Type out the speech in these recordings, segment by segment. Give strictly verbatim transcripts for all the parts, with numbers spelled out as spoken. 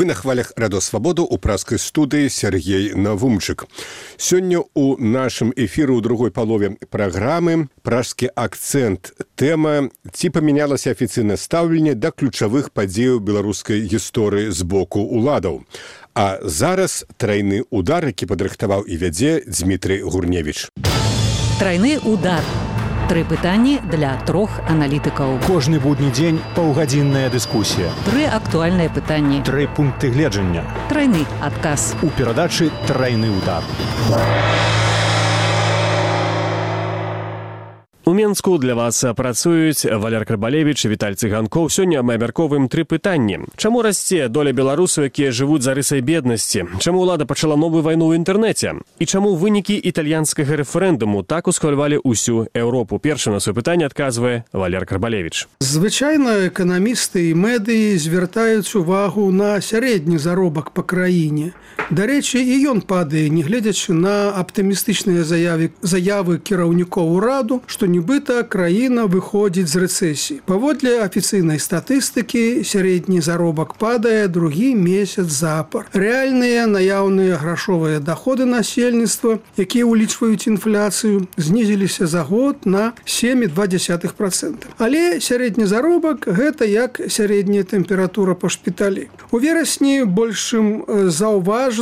Вы на хвалях Радиосвободу у праскай студыі Сергей Навумчык. Сёння у нашым эфіры ў другой палове праграмы пражскі акцэнт. Тэма «Ці памянялася афіцыйнае стаўленне да ключавых падзеяў беларускай гісторыі з боку уладаў». А зараз трайны удар, які падрыхтаваў і вядзе Дмітрый Гурневіч. Трайны удар. Тры пытанні для трох аналітыкаў. Кожны будні дзень паўгадзінная дыскусія. Тры актуальныя пытанні. Тры пункты гледжання. Трайны адказ. У перадачы «Трайны удар». У Менску для вас працуюць Валер Карбалевіч і Віталь Цыганкоў. Сёння мы абмяркоўваем тры пытанні. Чаму расце доля беларусаў, якія жывуць за рысай беднасці? Чаму ўлада пачала новую вайну ў інтэрнэце? І чаму вынікі італьянскага рэферэндуму так усхвалявалі ўсю Еўропу? Першы на сваё пытанне адказвае Валер Карбалевіч. Звычайна эканамісты і медыі звяртаюць увагу на сярэдні заробак па краіне. Дарэчы, і ён падае, не гледзячы на аптымістычныя заявы, заявы кіраўнікоў ураду, што нібыта краіна выходзіць з рэцэсіі. Паводле афіцыйнай статыстыкі, сярэдні заробак падае другі месяц запар. Рэальныя наяўныя грашовыя даходы насельніцтва, якія ўлічваюць інфляцыю, знізіліся за год на сем і два дзесятых працэнта. Але сярэдні заробак – гэта як сярэдняя тэмпература па шпіталі. У верасні большым заўважна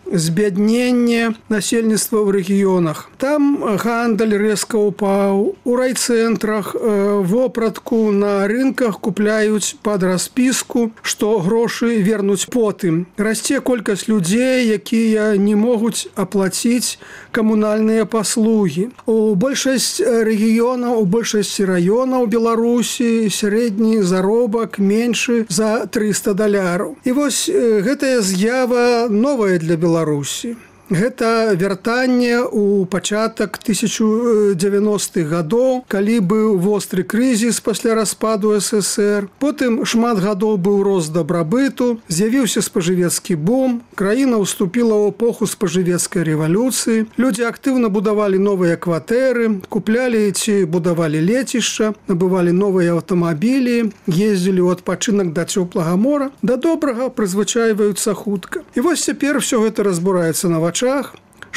збядненне насельніцтва ў рэгіёнах. Там гандаль рэзка ўпаў. У райцэнтрах вопратку на рынках купляюць пад распіску, што грошы вернуць потым. Расце колькасць людзей, якія не могуць аплаціць камунальныя паслугі. У большасць рэгіёнаў, у большасці раёнаў Беларусі сярэдні заробак меншы за трыста даляраў. І вось гэтая з'ява новая для Беларусі. Гэта вяртанне ў пачатак тысяча дзевяностых гадоў, калі быў востры крызіс пасля распаду эс эс ер. Потым шмат гадоў быў рост дабрабыту, з'явіўся спажывецкі бум, краіна ўступіла ў эпоху спажывецкай рэвалюцыі. Людзі актыўна будавалі новыя кватэры, куплялі ці будавалі лецішча, набывалі новыя аўтамабілі, ездзілі ў адпачынак да цёплага мора, да добрага прызвычайваюцца хутка. І вось цяпер усё гэта разбураецца на вачах.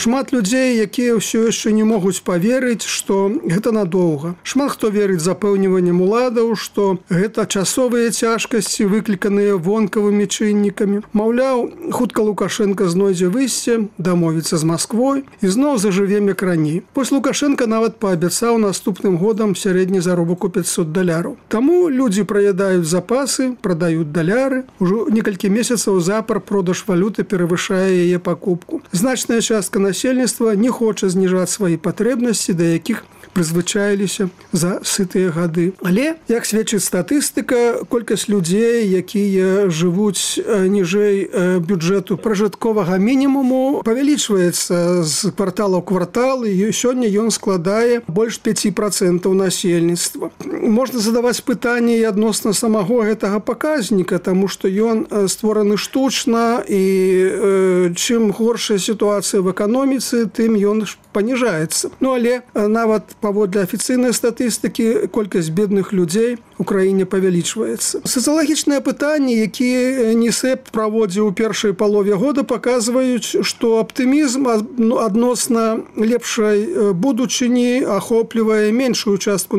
Шмат людзей, якія ўсё яшчэ не могуць паверыць, што гэта надоўга. Шмат хто верыць запэўніваннем уладаў, што гэта часовыя цяжкасці, выкліканыя вонкавымі чыннікамі. Маўляў, хутка Лукашенко знойдзе выйсце, дамовіцца з Масквой і зноў зажыве як раней. Вось Лукашенко нават паабяцаў наступным годам сярэдні заробак у пяцьсот даляраў. Таму людзі праядаюць запасы, прадаюць даляры. Ужо некалькі месяцаў запар продаж валюты перавышае яе пакупку. Значная частка насельніцтва не хоча зніжаць свае патрэбнасці, да якіх прызвычаіліся за сытыя гады. Але, як сведчыць статыстыка, колькасць людзей, якія жывуць ніжэй бюджэту пражытковага мінімуму, павялічваецца з квартала ў квартал, і сёння ён складае больш пяць працэнтаў насельніцтва. Можна задаваць пытанні і адносна самого гэтага паказніка, таму што ён створаны штучна, і э, чым горшая сітуацыя в эканоміцы, тым ён паніжаецца. Ну, але нават паводле афіцыйнай статыстыкі колькасць бедных людзей у краіне павялічваецца. Сацыялагічныя пытанні, якія НІСЭП праводзіў у першай палове года, паказваюць, што аптымізм адносна лепшай будучыні ахоплівае меншую частку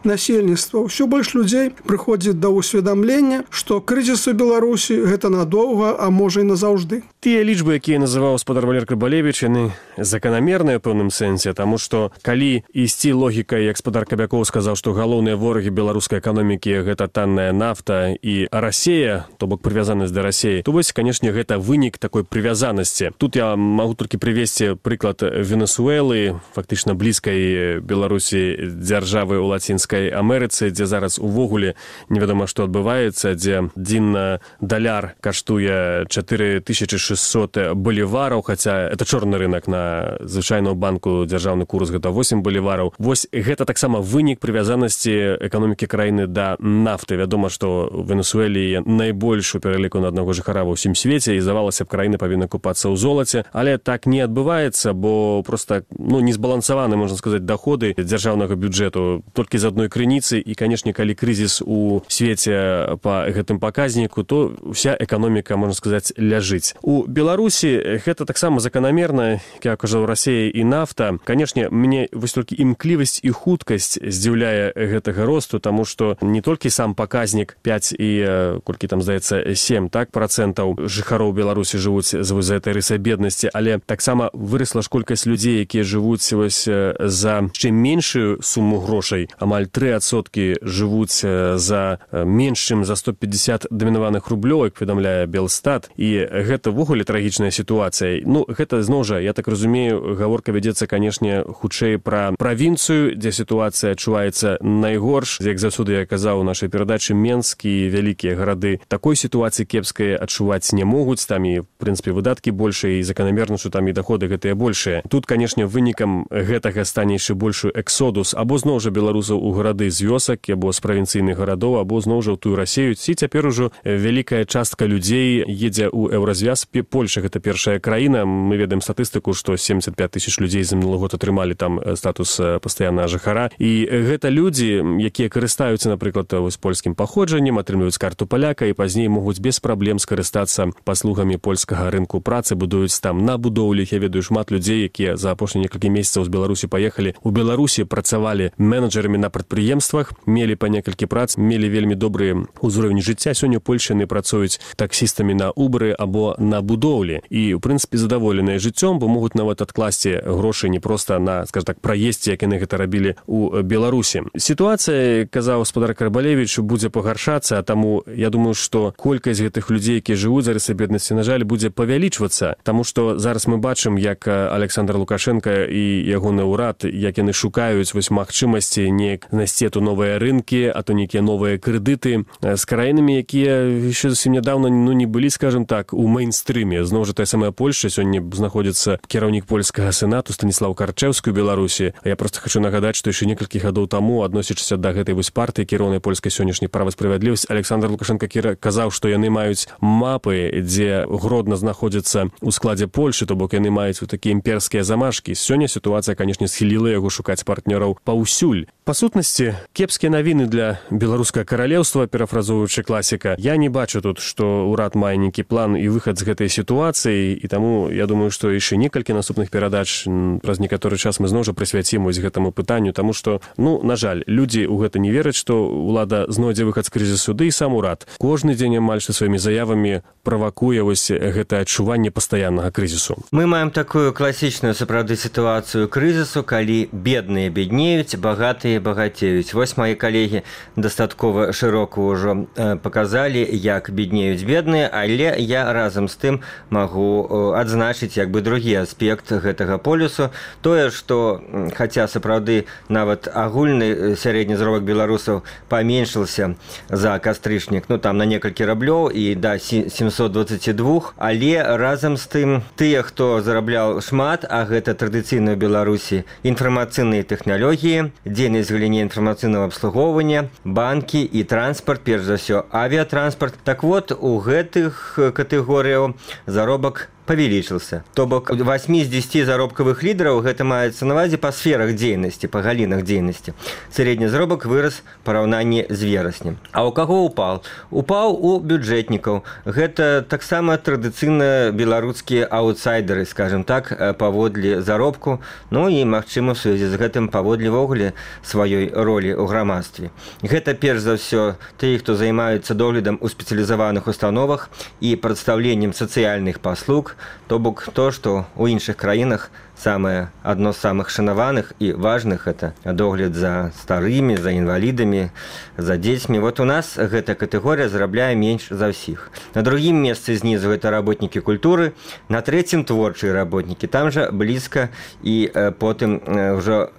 насельніцтва. Усё больш людзей прыходзіць да ўсведамлення, што крызіс у Беларусі гэта надоўга, а можа і назаўжды. Тыя лічбы, якія называў гаспадар Валер Карбалевіч, яны заканамерныя ў пэўным сэнсе, таму што калі ісці логікай, як гаспадар Кабякоў сказаў, што галоўныя ворагі беларускай эканомікі гэта танная нафта і Расея, то бок прывязанасць да Расеі, то вось, канешне, гэта вынік такой прывязанасці. Тут я магу толькі прывесці прыклад Венесуэлы, фактычна блізкай Беларусі дзяржавы ў Лацінскай Амерыцы, дзе зараз увогуле невядома, што адбываецца, дзе адзін даляр каштуе чатыры тысячы шэсцьсот балівараў, хаця это чорны рынок, на звычайную банку дзяржаўны курс гэта восем балівараў. Вось гэта таксама вынік прывязанасці эканомікі краіны краіны да нафты. Вядома, што Венесуэлі найбольш у пераліку на аднаго жыхара ва ўсім свеце, і здавалася б, краіна павінна купацца ў золаце, але так не адбываецца, бо просто ну, не збалансаваны, можна сказаць, доходы дзяржаўнага бюджэту толькі з адной крыніцы, і, канешне, калі крызіс у свеце па гэтым паказніку, то вся эканоміка, можна сказаць, ляжыць. У Беларусі гэта таксама заканамерна, як кажа, Расія і нафта. Канешне, мне вось толькі імклівасць і хуткасць здзіўляе гэтага росту, таму што не толькі сам паказнік пяць і колькі там, здаецца, сем так, працэнтаў жыхароў Беларусі жывуць з гэтай рысай беднасці, але таксама вырасла ж колькасць людзей, якія жывуць вось за яшчэ меншую суму грошай. Амаль тры адсоткі жывуць за менш, чым за сто пятьдесят дамінаваных рублёў, як паведамляе Белстат, і гэта ввогуле трагічная сітуацыя. Ну, гэта, зноў жа, я так разумею, гаворка вядзецца, канешне, хутчэй пра правінцыю, дзе сітуацыя адчуваецца найгорш. Як заўсёды я казаў у нашай перадачы, Менск і вялікія гарады такой сітуацыі кепскай адчуваць не могуць. Там і, в прынцыпе, выдаткі большыя, і заканамерна, што там і доходы гэтыя большыя. Тут, канешне, вынікам гэтага стане яшчэ большы эксодус або зноў жа беларусаў у гарады з вёсак, або з правінцыйных гарадоў, або зноў жа ў тую Расію. І цяпер ужо вялікая частка людзей едзе ў еўразвяз. Польша гэта першая краіна. Мы ведаем статыстыку, што семьдесят пять тысяч людзей за мінулы год атрымалі там статус пастаяннага жыхара. І гэта людзі, якія карыстаюцца, напрыклад, вось польскім паходжаннем, атрымліваюць карту паляка і пазней могуць без праблем скарыстацца паслугамі польскага рынку працы, будуюць там на будоўлі. Я ведаю шмат людзей, якія за апошнія некалькі месяцаў з Беларусі паехалі. У Беларусі працавалі менеджерамі на прадпрыемствах, мелі па некалькі прац, мелі вельмі добрыя ўзровень жыцця. Сёння ў Польшы яны працуюць таксістамі на Убры або на будоўлі. І, ў прынцыпе, задаволеныя жыццём, бо могуць нават адкласці грошы не проста на, скажем так, праездзе, як яны гэта рабілі у Беларусі. Сітуацыя, казаў гаспадар Карбалевіч, будзе пагаршацца, а таму я думаю, што колькасць гэтых людзей, якія жывуць за рысай беднасці, на жаль, будзе павялічвацца, таму што зараз мы бачым, як Александр Лукашенко і ягоны ўрад, як яны шукаюць вось магчымасці неяк знайсці то новыя рынкі, а то нейкія новыя крэдыты з краінамі, якія яшчэ зусім нядаўна ну, не былі, скажем так, у мейнстрыме. Зноў жа тая самая Польша, сёння знаходзіцца кіраўнік польскага сенату Станіслаў Карчэўскі ў Беларусі. Я проста хочу нагадаць, што яшчэ некалькі гадоў таму, адносячыся да гэтай вось партыі кіроўнай польскай сённяшняй права справядлівасць, Александр Лукашенко казаў, што яны маюць мапы, дзе Гродна знаходзіцца ў складзе Польшы, то бок яны маюць вот такія імперскія замашкі. Сёння сітуацыя, канешне, схіліла яго шукаць партнёраў паўсюль. Па сутнасці, кепскія навіны для беларускага каралеўства, перафразуючы класіка. Я не бачу тут, што ўрад мае нейкі план і выхад з гэтай сітуацыі, і таму я думаю, што яшчэ некалькі наступных перадач праз некаторы час мы зноў жа прысвяцім вось гэтаму пытанню, таму што, ну, на жаль, людзі ў гэта не вераць, што ўлада знойдзе выхад з крызісу, ды і сам урад. Кожны дзень амаль што сваімі заявамі правакуе вось гэтае адчуванне пастаяннага крызісу. Мы маем такую класічную сапраўды сітуацыю крызісу, калі бедныя беднеюць, багатыя багацеюць. Вось мои калегі дастаткова шырока ўжо паказалі, як беднеюць бедныя, але я разам з тым магу адзначыць як бы другі аспект гэтага полюсу. Тое, што, хаця сапраўды нават агульны сярэдні заробак беларусаў паменшыўся за кастрычнік, ну там на некалькі раблёў і да семьсот двадцать два, але разам з тым тыя, хто зарабляў шмат, а гэта традыцыйна ў Беларусі інфармацыйныя тэхналогіі, дзейнасць в галіне інфармацыйнага абслугоўвання, банкі і транспарт, перш за ўсё авіятранспарт. Так вот, у гэтых катэгорыяў заробак павялічыўся. То бок восьмі з дзесяці заробкавых лідараў гэта маецца на ўвазе па сферах дзейнасці, па галінах дзейнасці. Сярэдні заробак вырас у параўнанні з вераснем. А ў каго упал? Упаў у бюджэтнікаў. Гэта таксама традыцыйна беларускія аўтсайдеры, скажем так, паводле заробку, ну і, магчыма, в сувязі з гэтым паводле вогуле сваёй ролі ў грамадстве. Гэта перш за ўсё тыя, хто займаюцца доглядам у спецыялізаваных установах і прадстаўленнем сацыяльных паслуг, то бок то, што ў іншых краінах самае адно з самых шанаваных і важных это догляд за старымі, за інвалідамі, за дзецьмі. Вот у нас гэта катэгорыя зарабляе менш за ўсіх. На другім месцы знізу гэта работнікі культуры, на трэцім творчыя работнікі, там жа блізка і э, потым э, ўжо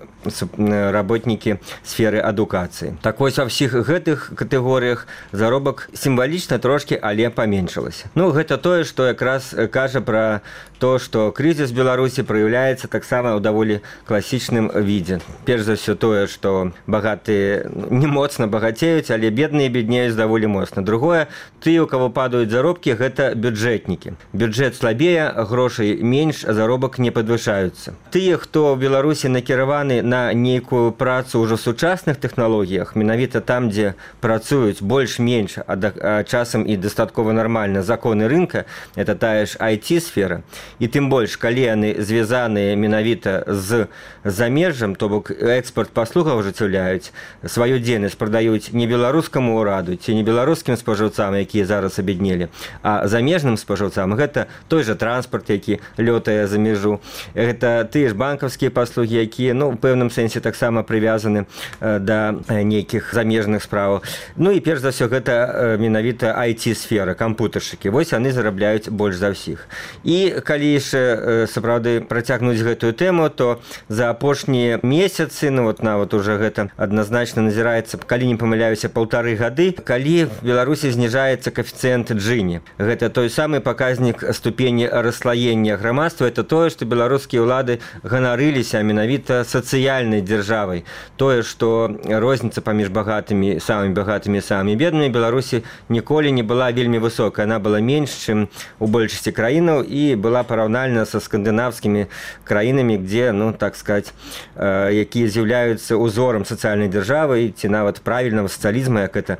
работнікі сферы адукацыі. Так вось ва ўсіх гэтых катэгорыях заробак сімвалічна трошкі, але паменшылася. Ну, гэта тое, што якраз кажа пра то, што крызіс Беларусі праяўляе праяўляецца таксама ў даволі класічным відзе. Перш за ўсё тое, што багатыя не моцна багацеюць, але бедныя беднеюць даволі моцна. Другое, тыя, у каго падаюць заробкі, гэта бюджэтнікі. Бюджэт слабее, грошай менш, а заробак не падвышаюцца. Тыя, хто ў Беларусі накіраваны на нейкую працу ўжо в сучасных тэхналогіях, менавіта там, дзе працуюць больш-менш, а, а часам і дастаткова нармальна законы рынка, это тая ж ай ти-сфера. І тым больш, калі яны звязаныя менавіта з замежжам, то бок экспорт паслугаў ажыццяўляюць, сваю дзейнасць прадаюць не беларускаму ўраду ці не беларускім спажыўцам, якія зараз абеднелі, а замежным спажыўцам. Гэта той жа транспарт, які лётае за мяжу. Гэта тыя ж банкаўскія паслугі, якія, ну, у пэўным сэнсе таксама прывязаны да нейкіх замежных справаў. Ну і перш за ўсё гэта менавіта ай ти-сфера, кампутаршчыкі. Вось яны зарабляюць больш за ўсіх. І калі яшчэ сапраўды працягнуць гэтую тэму, то за апошнія месяцы, ну вот нават уже гэта адназначна назіраецца, калі не памыляюся, паўтары гады, калі в Беларусі зніжаецца коэфіцыент Джини. Гэта той самы паказнік ступені расслаення грамадства. Это тое, што беларускія ўлады ганарыліся менавіта сацыяльнай дзяржавай. Тое, што розніца паміж багатымі, самымі багатымі і самымі беднымі Беларусі ніколі не была вельмі высокая. Она была менш, чым у большасці краінаў і была параўнальна са скандынаўскімі краінамі, где, ну, так сказать, якія з'яўляюцца узорам сацыяльнай дзяржавы ці нават правільнага сацыялізма, як это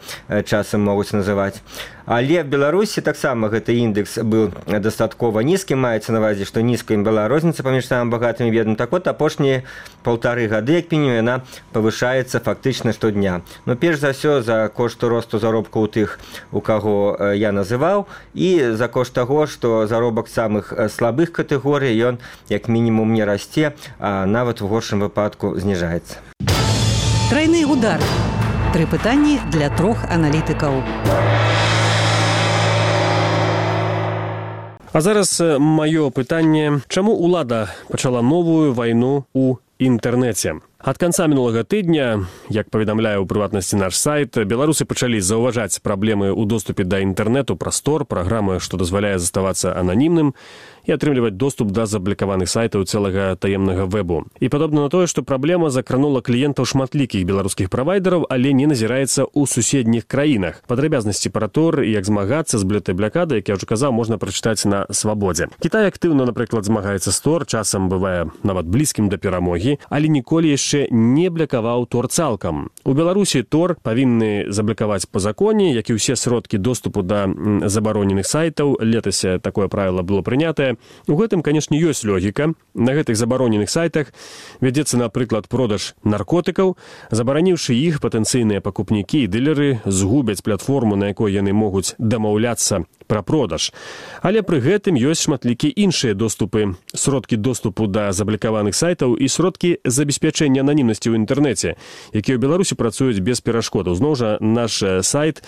часам могуць называць. Але в Беларусі таксама гэты індекс быў дастаткова нізкім, маецца на ўвазе, што нізкая была розніца паміж самым багатым і бедным. Так от, апошнія паўтары гады, як мінімум, яна павышаецца фактычна штодня. Ну, перш за ўсё, за кошт росту заробку ў тых, у каго я называў, і за кошт таго, што заробак самых слабых катэгорый, ён як мінімум не расце, а нават у горшым выпадку зніжаецца. Трайны удар. Тры пытанні для трох аналітыкаў. А зараз маё пытанне: чаму ўлада пачала новую вайну ў інтэрнэце? Ад канца мінулага тыдня, як паведамляе ў прыватнасці наш сайт, беларусы пачалі заўважаць праблемы ў доступе да інтэрнэту праз Тор, праграмы, што дазваляе заставацца ананімным і атрымліваць доступ да заблокаваных сайтаў цэлага таемнага вэбу. І падобна на тое, што праблема закранула кліентаў шматлікіх беларускіх правайдераў, але не назіраецца ў суседніх краінах. Падрабязнасці пра Тор і як змагацца з блэтай блякадай, як я ўжо казаў, можна прачытаць на Свабодзе. Кітай актыўна, напрыклад, змагаецца з Тор, часам бывае нават блізкім да перамогі, але ніколі яшчэ не блякаваў Тор цалкам. У Беларусі Тор павінны заблакаваць па законе, як і ўсе сродкі доступу да забароненых сайтаў. Летась такое правіла было прынятае. У гэтым, канешне, ёсць логіка. На гэтых забароненых сайтах вядзецца, напрыклад, продаж наркотыкаў. Забараніўшы іх, патэнцыйныя пакупнікі і дылеры згубяць платформу, на якой яны могуць дамаўляцца пра продаж. Але пры гэтым ёсць шматлікія іншыя доступы, сродкі доступу да заблакаваных сайтаў і сродкі забеспячэння ананімнасці ў інтэрнэце, якія ў Беларусі працуюць без перашкодаў. Зноў жа, наш сайт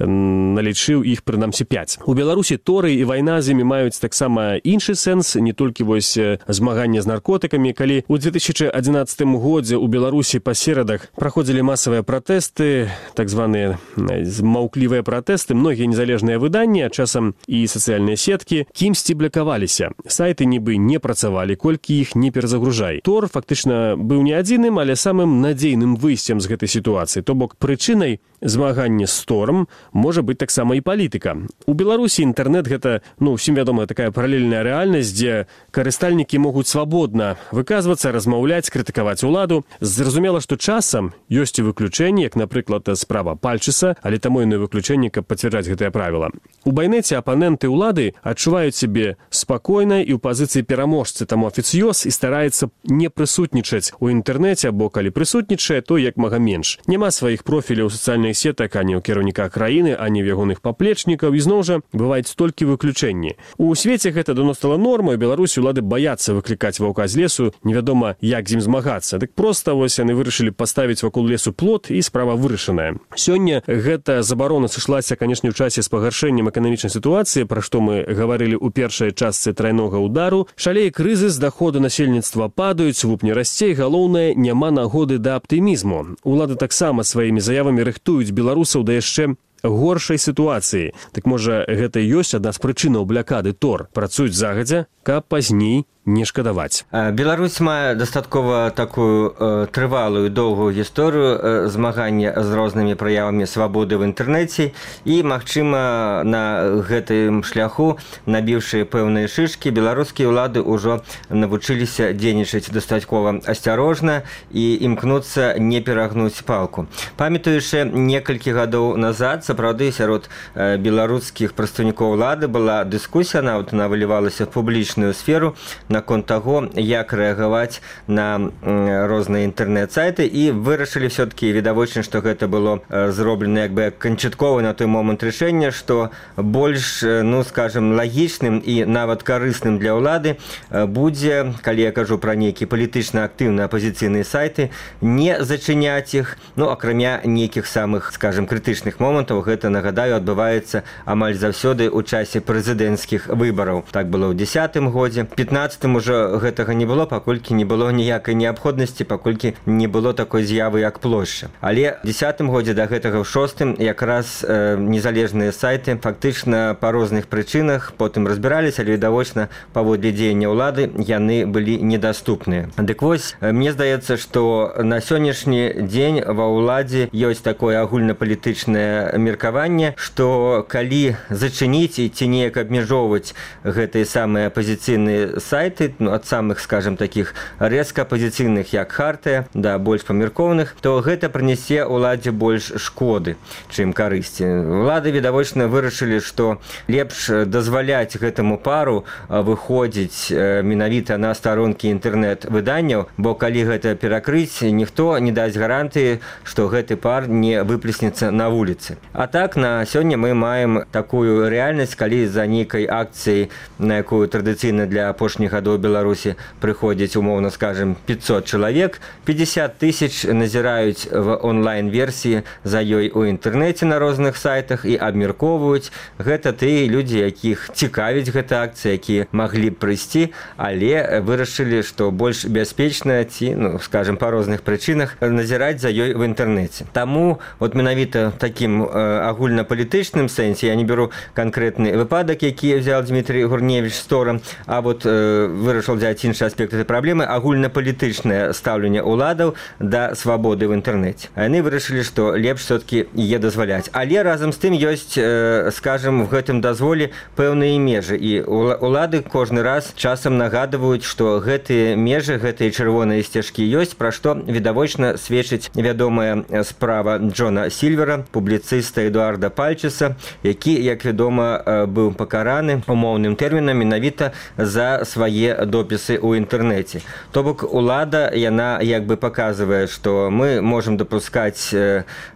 налічыў іх прынамсі пяць. У Беларусі Торы і вайна з імі маюць таксама іншы сэнс, не толькі вось змаганне з наркотыкамі. Калі ў две тысячы адзінаццатым годзе ў Беларусі па серадах праходзілі масавыя пратэсты, так званыя маўклівыя пратэсты, многія незалежныя выданні, часам і сацыяльныя сеткі, кімсьці блакаваліся. Сайты нібы не працавалі, колькі іх не перазагружай. Тор фактычна быў не адзіным, але самым надзейным выйсцем з гэтай сітуацыі. То бок прычынай змагання з Тором можа быць таксама і палітыка. У Беларусі інтэрнэт гэта, ну, усім вядомая такая паралельная рэальнасць, дзе карыстальнікі могуць свабодна выказвацца, размаўляць, крытыкаваць уладу. Зразумела, што часам ёсць і выключэнні, як, напрыклад, справа Пальчыса, але таму яно выключэнне, каб пацвярджаць гэтае правіла. У байнэце апаненты ўлады адчуваюць сябе спакойна і ў пазіцыі пераможцы, таму афіцыёз і стараецца не прысутнічаць у інтэрнэце, або калі прысутнічае, то як мага менш. Няма сваіх профіляў сацыяльных сетак ані ў кіраўніка краіны, ані ў ягоных паплечнікаў, і зноў жа бываюць толькі выключэнні. У свеце гэта давно стала нормай, Беларусі ўлады баяцца выклікаць ваўка з лесу, невядома, як з ім змагацца. Дык проста вось яны вырашылі паставіць вакол лесу плот, і справа вырашаная. Сёння гэта забарона сышлася, канешне, ў часе з пагаршэннем эканамічнай сітуацыі, пра што мы гаварылі ў першай частцы трайнога удару. Шалее крызіс, даходы насельніцтва падаюць, вуп не расце, і галоўнае, няма нагоды да аптымізму. Улады таксама сваімі заявамі рыхтуюць беларусаў да яшчэ горшай сітуацыі. Так можа, гэта і ёсць адна з прычынаў блякады Тор. Працуюць загадзя, каб пазней не шкадаваць. Беларусь мае дастаткова такую э, трывалую доўгую гісторыю э, змагання з рознымі праявамі свабоды в інтэрнэце і, магчыма, на гэтым шляху, набіўшы пэўныя шышкі, беларускія ўлады ўжо навучыліся дзейнічаць дастаткова асцярожна і імкнуцца не перагнуць палку. Памятаючы некалькі гадоў назад, сапраўды сярод э, беларускіх прадстаўнікоў улады была дыскусія, нават она вылівалася в публічную сферу наконт таго, як рэагаваць на э, розныя інтэрнэт-сайты, і вырашылі все-таки відавочна, што гэта было э, зроблена як бы канчаткова на той момант рашэння, што больш, э, ну скажем, лагічным і нават карысным для ўлады э, будзе, калі я кажу пра нейкія палітычна актыўныя апозіцыйныя сайты, не зачыняць іх, ну акрамя нейкіх самых, скажем, крытычных момантаў. Гэта, нагадаю, адбываецца амаль заўсёды ў часе прэзідэнцкіх выбараў. Так было ў дзесятым годзе. пятнаццатым ужо гэтага не было, паколькі не было ніякай неабходнасці, паколькі не было такой з'явы, як плошча. Але ў дзесятым годзе да гэтага ў шостым якраз э, незалежныя сайты фактычна па розных прычынах потым разбіраліся, але відавочна паводле дзеяння ўлады яны былі недаступныя. Дык вось, мне здаецца, што на сённяшні дзень ва ўладзе ёсць такое агульнапалітычнае меркаванне, што калі зачыніць і ці неяк абмяжоўваць гэтыя самыя апозіцыйныя сайты, ну, ад самых, скажем, такіх рэзка апозіцыйных, як Хартыя, да больш памяркованых, то гэта прынясе ўладзе больш шкоды, чым карысці. Улады, відавочна, вырашылі, што лепш дазваляць гэтаму пару выходзіць менавіта на старонкі інтэрнэт-выданняў, бо калі гэта перакрыць, ніхто не дасць гарантыі, што гэты пар не выплеснецца на вуліцы. А так, на сёння мы маем такую рэальнасць, калі за нейкай акцыяй, на якую традыцыйна для апошніх гадоў Беларусі прыходзіць, умоўна скажем, пятьсот чалавек, пятьдесят тысяч назіраюць в онлайн-версіі за ёй у інтэрнэце на розных сайтах і абмяркоўваюць. Гэта тыя людзі, якіх цікавіць гэта акцыя, якія маглі б прыйсці, але вырашылі, што больш бяспечна ці, ну, скажем, па розных прычынах назіраць за ёй в інтэрнэце. Таму вот менавіта такім э, агульнапалітычным сэнсе, я не беру канкрэтны выпадак, які взял Дмитрий Гурневич Стора, а вот э, вырашыў взять іншы аспект этой праблемы, агульнапалітычнае стаўленне ўладаў да свабоды в інтэрнэце. Яны вырашылі, што лепш все-таки яе дазваляць. Але разам з тым ёсць, э, скажем, в гэтым дазволе пэўныя межы, і улады кожны раз часам нагадваюць, што гэтыя межы, гэтыя чырвоныя сцежкі ёсць, пра што відавочна сведчыць вядомая справа Джона Сільвера, публіцыста Эдуарда Пальчеса, які, як вядома, быў пакараны умоўным тэрмінам менавіта за свае допісы ў інтэрнэце. То бок улада, яна як бы паказвае, што мы можам дапускаць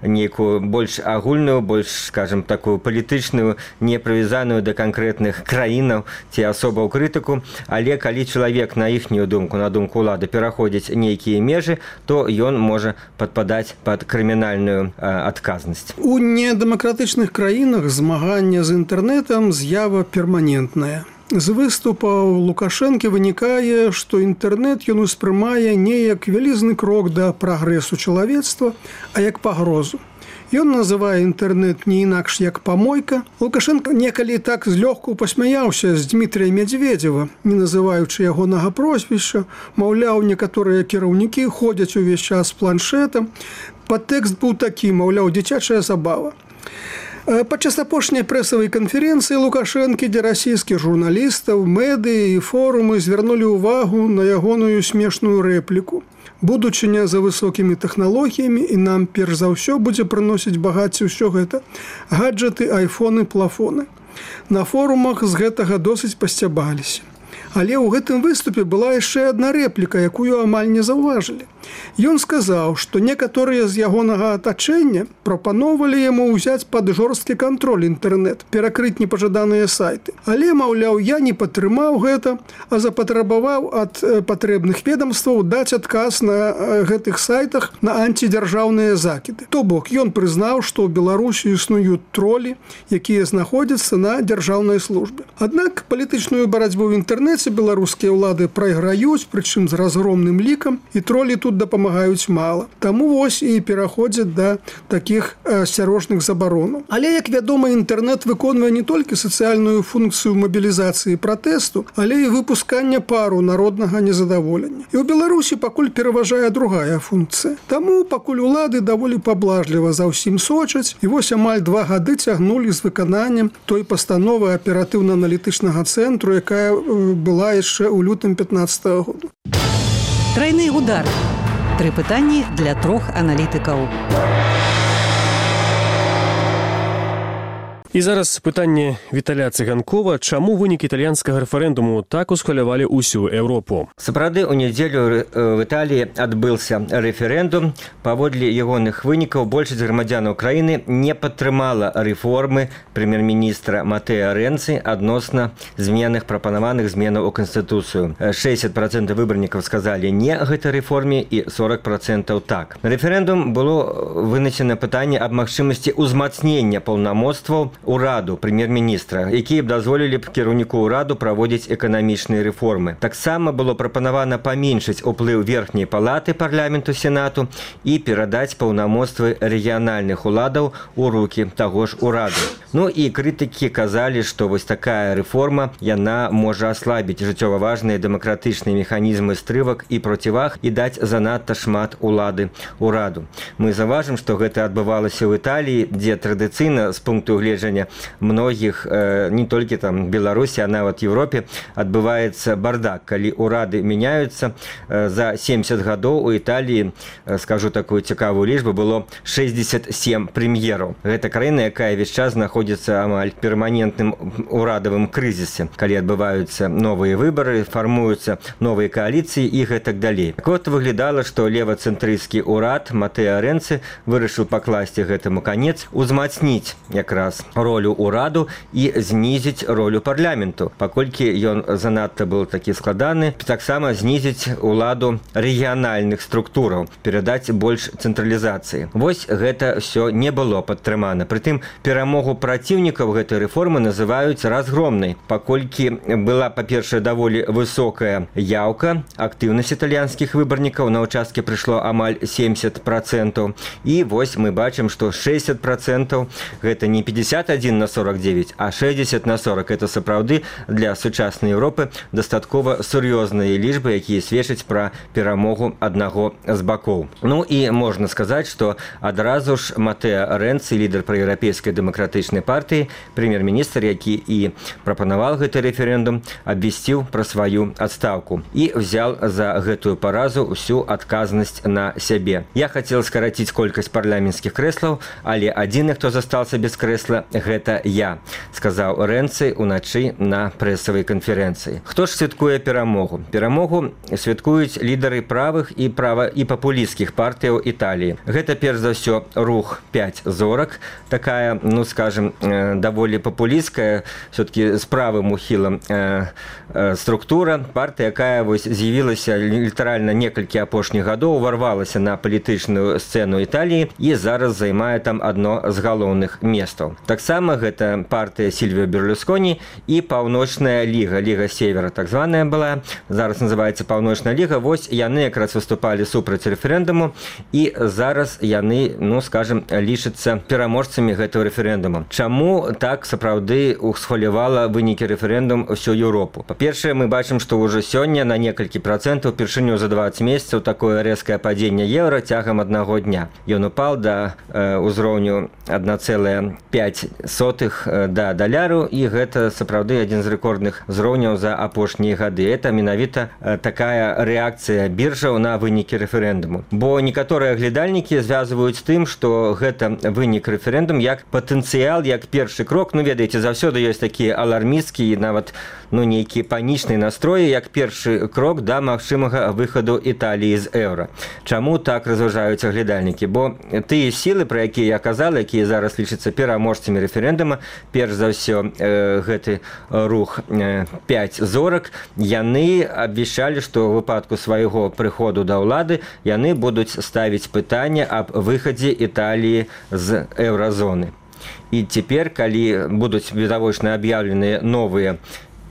нейкую больш агульную, больш, скажем, такую палітычную, не прывязаную да канкрэтных краінаў ці асобаў крытыку, але калі чалавек, на іхнюю думку, на думку улады, пераходзіць нейкія межы, то ён можа падпадаць пад крымінальную адказнасць. У недэмакратычных краінах змагання з інтэрнэтам з'ява перманентная. З выступаў Лукашэнкі вынікае, што інтэрнэт ён успрымае не як вялізны крок да прагрэсу чалавецтва, а як пагрозу. Ён называе інтэрнэт не інакш як памойка. Лукашенко некалі так злёгку пасмяяўся з Дмітрия Медведева, не называючы ягонага прозвішча, маўляў, некаторыя кіраўнікі ходзяць увесь час з планшетам. Падтэкст быў такі, маўляў, дзіцячая забава. Падчас апошняй прэсавай канферэнцыі Лукашэнкі, дзе расійскіх журналістаў, медыі і форумы звярнулі ўвагу на ягоную смешную рэпліку. Будучыня за высокімі тэхналогіямі, і нам перш за ўсё будзе прыносіць багацце ўсё гэта гаджеты, айфоны, плафоны. На форумах з гэтага досыць пасцябаліся. Але ў гэтым выступе была яшчэ адна рэпліка, якую амаль не заўважылі. Ён сказаў, што некаторыя з ягонага атачэння прапаноўвалі яму ўзяць пад жорсткі кантроль інтэрнэт, перакрыць непажаданыя сайты. Але, маўляў, я не падтрымаў гэта, а запатрабаваў ад патрэбных ведамстваў даць адказ на гэтых сайтах на антидзяржаўныя закіды. То бок, ён прызнаў, што ў Беларусі існуюць тролі, якія знаходзяцца на дзяржаўнай службе. Аднак палітычную барацьбу ў інтэрнэце трэця, беларускія ўлады прайграюць, прычым з разгромным лікам, і тролі тут дапамагаюць мала. Таму вось і пераходзяць да такіх асцярожных забаронаў. Але, як вядома, інтэрнэт выконвае не толькі сацыяльную функцыю мабілізацыі пратэсту, але і выпускання пару народнага незадаволення. І ў Беларусі пакуль пераважае другая функцыя. Таму пакуль улады даволі паблажліва за ўсім сочаць, і вось амаль два гады цягнулі з выкананнем той пастановы аператыўна-аналітычнага цэнтру, якая была яшчэ ў лютым пятнаццатага года. Трайны удар. Тры пытанні для трох аналітыкаў. І зараз пытанне Віталя Цыганкова, чаму вынік італьянскага рэферэндуму так усхвалявалі ўсю Еўропу? Сапраўды, у нядзелю в Італіі адбыўся рэферэндум. Паводле ягоных вынікаў большасць грамадзянаў краіны не падтрымала рэформы прэм'ер-міністра Матэа Рэнцы адносна зменных прапанаваных зменаў у Канстытуцыю. шэсцьдзесят процентаў выбарнікаў сказалі не гэтай рэформе і сорок процентаў так. На рэферэндум было вынесена пытанне аб магчымасці ўзмацнення паўнамоцтваў ураду прэм'ер-міністра, якія б дазволілі б кіраўніку ўраду праводзіць эканамічныя рэформы. Таксама было прапанавана паменшыць уплыў верхняй палаты парламенту сенату і перадаць паўнамоцтвы рэгіянальных уладаў у рукі таго ж ураду. Ну і крытыкі казалі, што вось такая рэформа, яна можа аслабіць жыццёва важныя дэмакратычныя механізмы стрывак і проціваг і даць занадта шмат улады ураду. Мы заўважым, што гэта адбывалася ў Італіі, дзе традыцыйна з пункту гледжання многіх, э, не толькі там Беларусі, а нават Еўропе, адбываецца бардак, калі урады мяняюцца. Э, за семьдесят гадоў у Італіі, э, скажу такую цікавую лічбу, было шэсцьдзесят сем прэм'ераў. Гэта краіна, якая весь час знаходзіцца амаль перманентным урадавым крызісе, калі адбываюцца новыя выбары, фармуюцца новыя кааліцыі і гэтак далей. Так вот, выглядала, што левацэнтрысцкі ўрад Матэа Рэнцы вырашыў пакласці гэтаму канец, узмацніць якраз ролю ураду і знізіць ролю парламенту. Паколькі ён занадта быў такі складаны, таксама знізіць уладу рэгіянальных структураў, перадаць больш цэнтралізацыі. Вось гэта ўсё не было падтрымана. Прытым перамогу праціўнікаў гэтай рэформы называюць разгромнай, паколькі была, па-першае, даволі высокая яўка, актыўнасць італьянскіх выбарнікаў, на ўчасткі прыйшло амаль семьдесят процентаў. І вось мы бачым, што шэсцьдесят процентаў гэта не пятьдесят один на сорок девять, а шестьдесят на сорок. Это сапраўды для сучаснай Еўропы дастаткова сур'ёзныя лічбы, якія сведчаць пра перамогу аднаго з бакоў. Ну і можна сказаць, што адразу ж Матэа Рэнцы, лідар праеўрапейскай дэмакратычнай партыі, прэм'ер-міністр, які і прапанаваў гэты рэферэндум, абвясціў пра сваю адстаўку і взял за гэтую паразу ўсю адказнасць на сябе. Я хацеў скараціць колькасць парламенцкіх крэслаў, але адзіны, хто застаўся без крэсла, гэта я, сказаў Рэнцы уначы на прэсавай канферэнцыі. Хто ж святкуе перамогу? Перамогу святкуюць лідары правых і права і папулісцкіх партыяў Італіі. Гэта перш за ўсё рух пяць зорак, такая, ну скажем, даволі папулісцкая, все-таки з правым ухілам э, э, структура, партыя, якая вось з'явілася літаральна некалькі апошніх гадоў, уварвалася на палітычную сцэну Італіі і зараз займае там адно з галоўных месцаў. Таксама гэта партыя Сільвіо Берлусконі і Паўночная ліга, Ліга Севера, так званая была, зараз называецца Паўночная ліга. Вось яны якраз выступалі супраць рэферэндуму і зараз яны, ну скажем, лічацца пераможцамі гэтага рэферэндуму. Чаму так сапраўды усхвалявала вынікі рэферэндум усю Еўропу? Па-першае, мы бачым, што ўжо сёння на некалькі процентаў першыню за двадцать месяцаў такое рэзкае падзенне еўра цягам аднаго дня. Ён упаў да э, ўзроўню адна цэлая пяць сотых да даляру, і гэта сапраўды адзін з рэкордных узроўняў за апошнія гады. Это менавіта такая рэакцыя біржаў на вынікі рэферэндуму. Бо некаторыя глядальнікі звязваюць тым, што гэта вынік рэферэндум як патэнцыял, як першы крок. Ну, ведаеце, заўсёды ёсць такія алармісцкія, нават ну, нейкія панічныя настроі, як першы крок да магчымага выхаду Італіі з еўра. Чаму так разважаюць глядальнікі? Бо тыя сілы, пра якія я казала, якія зараз лічацца пераможцамі рэферэндума, перш за ўсё э, гэты рух э, пяць зорак, яны абвяшчалі, што ў выпадку свайго прыходу да ўлады яны будуць ставіць пытанне аб выхадзе Італіі з еўразоны. І цяпер, калі будуць відавочна аб'яўленыя новыя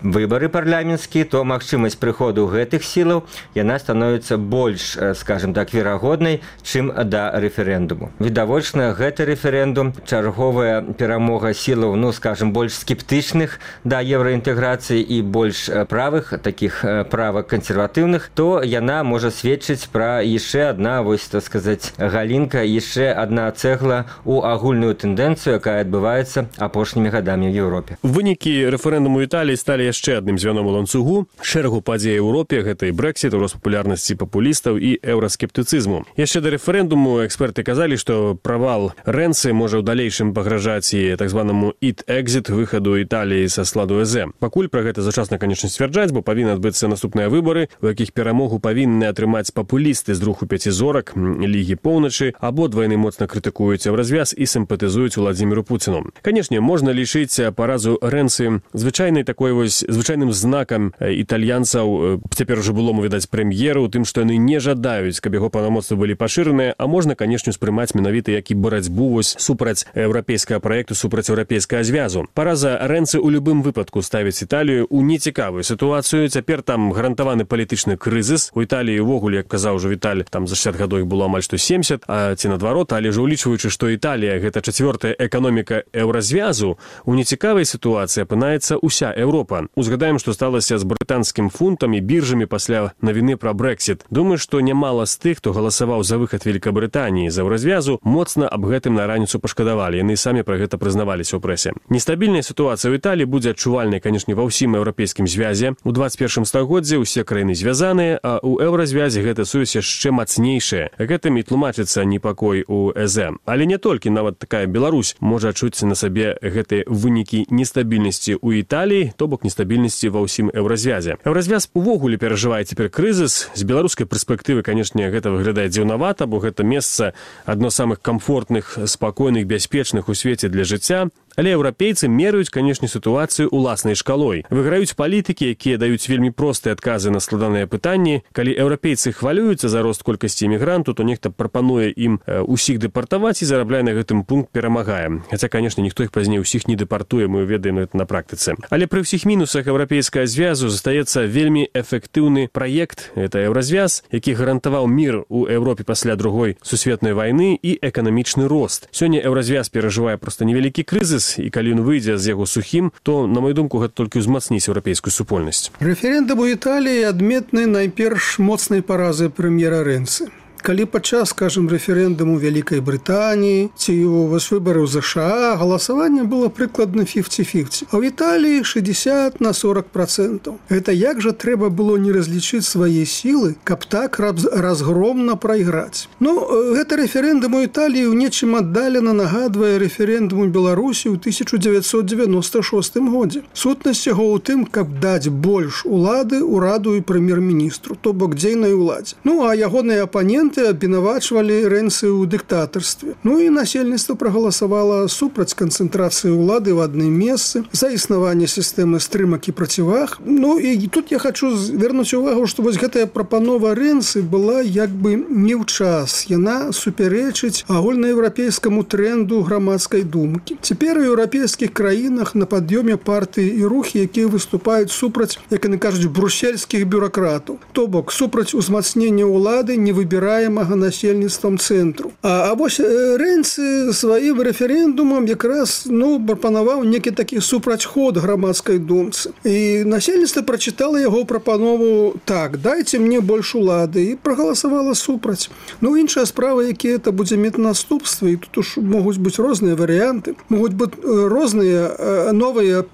выбары парламенцкія, то магчымасць прыходу гэтых сілаў яна становіцца больш, скажем так, верагоднай, чым да рэферэндуму. Відавочна, гэты рэферэндум чарговая перамога сілаў, ну, скажем, больш скептычных да еўраінтэграцыі і больш правых, такіх правак кансерватыўных, то яна можа сведчыць пра яшчэ адна, вось, так сказаць, галінка, яшчэ адна цэгла у агульную тэндэнцыю, якая адбываецца апошнімі гадамі ў Еўропе. Вынікі рэферэндуму Італіі сталі яшчэ адным звяном у ланцугу. Шэрагу падзей у Еўропе, гэта і Брэксіт, рост папулярнасці папулістаў і еўраскептыцызму. Яшчэ да рэферэндуму эксперты казалі, што правал Рэнцы можа ў далейшым пагражаць і так званаму «ит-экзіт» выхаду Італіі са складу ЭЗ. Пакуль пра гэта зачасна, канечне, сцвярджаць, бо павінны адбыцца наступныя выбары, у якіх перамогу павінны атрымаць папулісты з руху пяці зорак, Лігі Поўначы, абодва яны моцна крытыкуюць еўразвяз і сімпатызуюць Уладзіміру Пуціну. Канечне, можна лічыць паразу Рэнцы звычайнай такой вось звычайным знакам італьянцаў, цяпер ужо было, відаць, прэм'еру, тым, што яны не жадаюць, каб яго паўнамоцтвы былі пашыраныя, а можна, канечне, успрымаць менавіта як і барацьбу вось супраць еўрапейскага праекту, супраць еўрапейскага звязу. Параза Рэнцы ў любым выпадку ставіць Італію ў нецікавую сітуацыю. Цяпер там гарантаваны палітычны крызіс. У Італіі ўвогуле, як казаў ужо Віталь, там за шэсцьдзесят гадоў іх было амаль што семьдесят, а ці наадварот, але ж улічваючы, што Італія гэта чацвёртая эканоміка еўразвязу, у нецікавай сітуацыі апынаецца ўся Еўропа. Узгадаем, што сталася з брытанскім фунтам і біржамі пасля навіны пра Брэксіт. Думаю, што нямала з тых, хто галасаваў за выхад Великабрытаніі з еўразвязу, моцна аб гэтым на раніцу пашкадавалі. Яны самі пра гэта прызнаваліся ў прэсе. Нестабільная сітуацыя ў Італіі будзе адчувальнай, канешне, ва ўсім еўрапейскім звязе. У дваццаць першым стагоддзі ўсе краіны звязаныя, а ў еўразвязе гэта сувязь яшчэ мацнейшая. Гэтым і тлумачыцца непакой у ЭЗ. Але не толькі, нават такая Беларусь можа адчуць на сабе гэтыя вынікі нестабільнасці ў Італіі, то бок нестабільнасці ва ўсім еўразвязе. Еўразвяз увогуле перажывае цяпер крызіс. З беларускай перспектывы, канешне, гэта выглядае дзіўнавата, бо гэта месца адно з самых камфортных, спакойных, бяспечных у свеце для жыцця. Але еўрапейцы мераюць, канешне, сітуацыю уласнай шкалой. Выграюць палітыкі, якія даюць вельмі простыя адказы на складаныя пытанні. Калі еўрапейцы хвалююцца за рост колькасці імігранту, то нехта прапануе ім усіх дэпартаваць і зарабляе на гэтым пункт перамагае. Хаця, канешне, ніхто іх пазней усіх не дэпартуе, мы ведаем гэта на практыцы. Але пры ўсіх мінусах еўрапейскага звязу застаецца вельмі эфектыўны праект. Гэта еўразвяз, які гарантаваў мір у Еўропе пасля другой сусветнай вайны і эканамічны рост. Сёння еўразвяз перажывае проста невялікі крызіс, і калі ён выйдзе з яго сухім, то, на мою думку, гэта толькі ўзмацніць еўрапейскую супольнасць. Рэферэндум у Італіі адметны найперш моцнай паразы прэм'ера Рэнцы. Калі падчас, скажем, рэферэндуму Вялікай Брытаніі ці вось выбараў ЗША галасаванне было прыкладна пяцьдзясят на пяцьдзясят, а ў Італіі шэсцьдесят на сорок процентаў. Гэта як жа трэба было не разлічыць свае сілы, каб так разгромна прайграць. Ну, гэта рэферэндум у Італіі ў нечым аддалена нагадвае рэферэндум у Беларусі ў тысяча дзевяцьсот дзевяноста шостым годзе. Сутнасць яго ў тым, каб даць больш улады ўраду і прэм'ер-міністру, то бок дзейнай уладзе. Ну, а ягоныя апаненты абвінавачвалі Рэнцы ў дыктатарстве. Ну і насельніцтва прагаласавала супраць канцэнтрацыі ўлады ў адным месцы, за існаванне сістэмы стрымак і проціваг. Ну і тут я хочу звярнуць увагу, што вось гэтая прапанова Рэнцы была як бы не ў час. Яна супярэчыць агульнаеўрапейскаму тренду грамадскай думкі. Цяпер у еўрапейскіх краінах на пад'ёме партыі і рухі, якія выступаюць супраць, як яны кажуць, брусельскіх бюракратаў. То бок супраць узмацнення ўлады не выбірае насельніцтвам цэнтру. А, а вось Рэнцы сваім рэферэндумам якраз ну, прапанаваў некі такі супрацьход грамадскай думцы. І насельніцтва прачытала яго прапанову так, дайце мне больш улады, і прагаласавала супраць. Ну, іншая справа, якія это будзе мець наступствы, і тут уж могуць быць розныя варыянты, могуць быць розныя новыя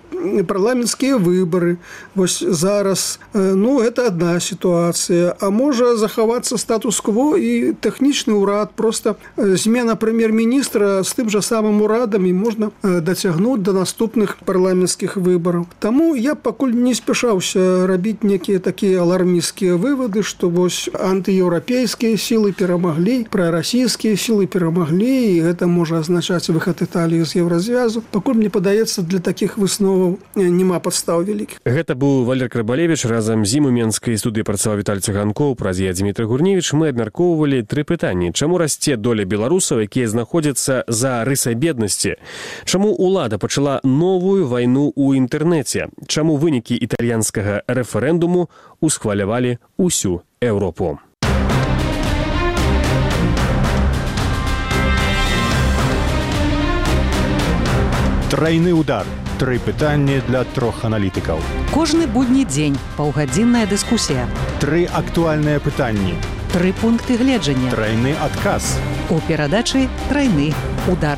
парламенцкія выбары. Вось зараз, ну, это одна сітуацыя. А можа захавацца статус-кво і тэхнічны ўрад, просто змена прэм'ер-міністра з тым жа самым урадам і можна дацягнуць да наступных парламенцкіх выбараў. Таму я пакуль не спяшаўся рабіць некія такія алармісцкія вывады, што вось антыеўрапейскія сілы перамаглі, прарасійскія сілы перамаглі, і гэта можа азначаць выхад Італіі з еўразвязу. Пакуль мне падаецца, для такіх высноваў няма падстаў вялікіх. Гэта быў Валер Крыбалевіч, разам з ім у менскай студыі працаваў Віталь Цыганкоў, праз я Дзмітрый Гурневіч. Мы абмяркоўваем абмяркоўвалі тры пытанні. Чаму расце доля беларусаў, якія знаходзяцца за рысай беднасці? Чаму ўлада пачала новую вайну ў інтэрнэце? Чаму вынікі італьянскага рэферэндуму усхвалявалі ўсю Еўропу? Трайны удар. Тры пытанні для трох аналітыкаў. Кожны будні дзень паўгадзінная дыскусія. Тры актуальныя пытанні. Тры пункты гледжання. Трайны адказ. У перадачы «Трайны удар».